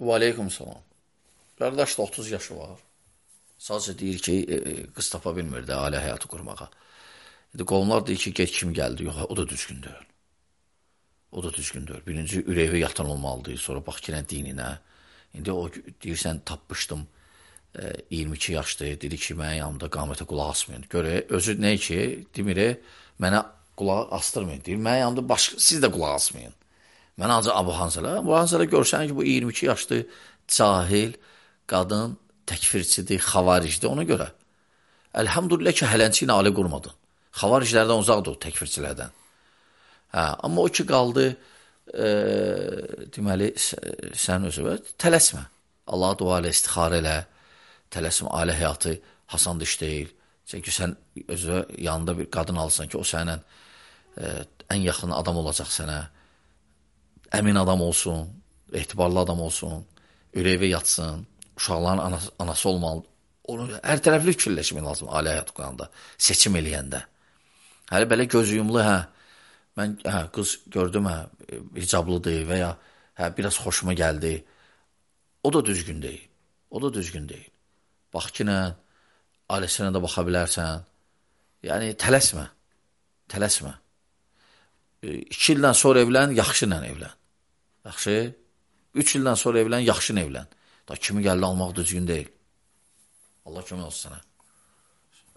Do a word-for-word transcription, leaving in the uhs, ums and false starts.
Və aleykum salam. Qardaş da otuz yaşı var. Sadəcə deyir ki, e, e, qız tapa bilmir də ailə həyatı qurmağa. İndi qonlar deyir ki, get kim gəldi? Yox, o da düzgün deyil. O da düzgün deyil. Birinci ürəyi yatan olmalıdır, sonra bax ki, dininə. İndi o deyirsən, tapmışdım, e, iyirmi iki yaşdır, dedi ki, mənim yanımda qamətə qulaq asmayın. Görə, özü nə ki, demir, mənə qulaq astırmayın. Deyir, mənim yanımda başqa, siz də qulaq asmayın. Mən ancaq Abu Hanzələ. Abu Hanzələ görsən ki, bu iyirmi iki yaşlı cahil, qadın, təkfirçidir, xavaricdir ona görə. Əlhamdülillah ki, hələnçi ilə ailə qurmadın. Xavariclərdən uzaqdır o, təkfirçilərdən. Hə, amma o ki, qaldı, e, deməli, sən özü, tələsmə. Allaha dua ilə, istixarə elə, tələsmə, ailə həyatı hasan iş deyil. Çünki sən özü yanında bir qadın alsan ki, o sənlə e, ən yaxın adam olacaq sənə. Əmin adam olsun, etibarlı adam olsun, ürəyə yatsın, uşaqların anası, anası olmalı. Onu hər tərəfli fikirləşmək lazım ailə həyatı quranda, seçim eləyəndə. Hələ belə gözüyumlu, hə, mən hə, qız gördüm, hə, hicablıdır və ya hə, biraz xoşuma gəldi. O da düzgün deyil, o da düzgün deyil. Bax ki, nə, ailəsinə də baxa bilərsən. Yəni, tələsmə, tələsmə. İki ildən sonra evlən, yaxşı ilə evlən. Yaxşı, üç ildən sonra evlən, yaxşı ilə evlən. Da kimi gəldi almaq düzgün deyil. Allah kömək olsun sənə.